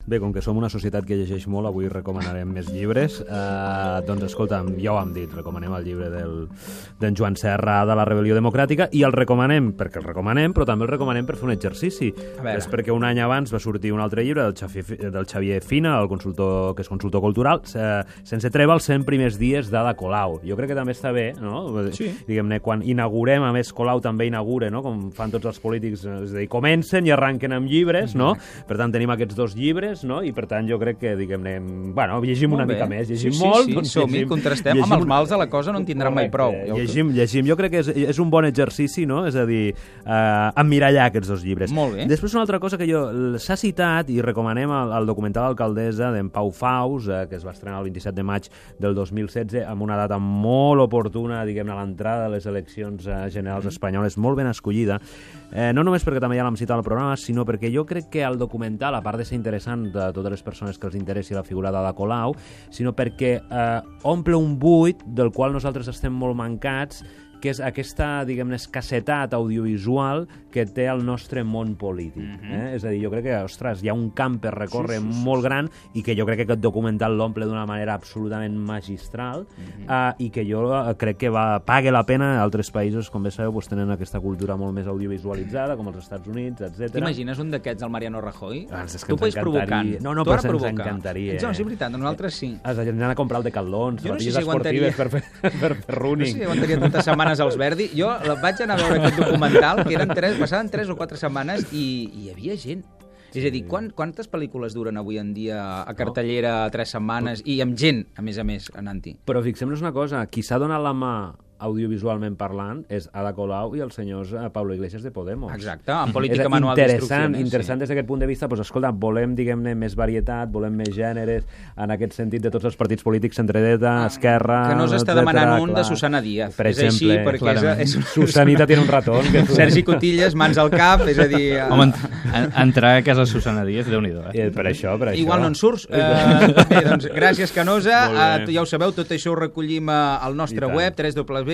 Bé, com que som una societat que llegeix molt, avui recomanarem més llibres. Doncs escolta'm, ja ho hem dit, recomanem el llibre d'en Joan Serra de la Rebel·lió Democràtica, i el recomanem perquè el recomanem, però també el recomanem per fer un exercici. És perquè un any abans va sortir un altre llibre del Xavier Fina, el consultor, que és consultor cultural, Sense treva els 100 primers dies d'Ada Colau. Jo crec que també està bé, no? Sí. Diguem-ne, quan inaugurem, a més Colau també inaugura, no? Com fan tots els polítics, és a dir, comencen i arranquen amb llibres, no? Per tant, tenim aquests 2 llibres, no? I per tant, jo crec que, diguem-ne, bueno, llegim una mica més, llegim molt. Sí, som-hi, contrastem. Amb els mals de la cosa no en tindran mai prou. Llegim. Jo crec que és un bon exercici, no? És a dir, emmirallar aquests 2 llibres. Molt bé. Després, una altra cosa que s'ha citat, i recomanem el documental Alcaldessa d'en Pau Faus, que es va estrenar el 27 de maig del 2016, amb una data molt oportuna, diguem-ne, a l'entrada de les eleccions generals espanyoles, molt ben escollida, no només perquè també ja l'hem citat al programa, sinó perquè jo crec que el documental, a part de ser interessant de totes les persones que els interessi la figura d'Ada Colau, sinó perquè omple un buit del qual nosaltres estem molt mancats, que és aquesta, diguem-ne, escassetat audiovisual que té el nostre món polític. És a dir, jo crec que, ostres, hi ha un camp per recórrer molt gran i que jo crec que aquest documental l'omple d'una manera absolutament magistral i que jo crec que paga la pena. Altres països, com bé sabeu, tenen aquesta cultura molt més audiovisualitzada, com els Estats Units, etc. T'imagines un d'aquests, el Mariano Rajoy? És que ens encantaria. No, però ens encantaria. No, és veritat, nosaltres sí. Has d'anar a comprar el Decathlon, sabatilles esportives per fer running. No sé si aguantaria tantes setmanes als Verdi. Jo vaig anar a veure aquest documental, que passaven 3 o 4 setmanes i hi havia gent. És a dir, quantes pel·lícules duren avui en dia a cartellera 3 setmanes i amb gent, a més, anant-hi? Però fixem-nos una cosa, qui s'ha donat la mà audiovisualment parlant és Ada Colau i els senyors Pablo Iglesias de Podemos. Exacte, en política manual d'instruccions. Interessant des d'aquest punt de vista, doncs escolta, volem, diguem-ne, més varietat, volem més gèneres, en aquest sentit de tots els partits polítics, centredreta, esquerra... Que no s'està demanant un de Susana Díaz. Per exemple, és així, perquè Susanita tiene un ratón. Sergi Cotillas, mans al cap, és a dir... Home, entrar a casa Susana Díaz, Déu-n'hi-do. Per això. Igual no en surts. Bé, doncs, gràcies, Canosa. Ja ho sabeu, tot això ho recollim al nostre web, www.alsspindoctors.cat.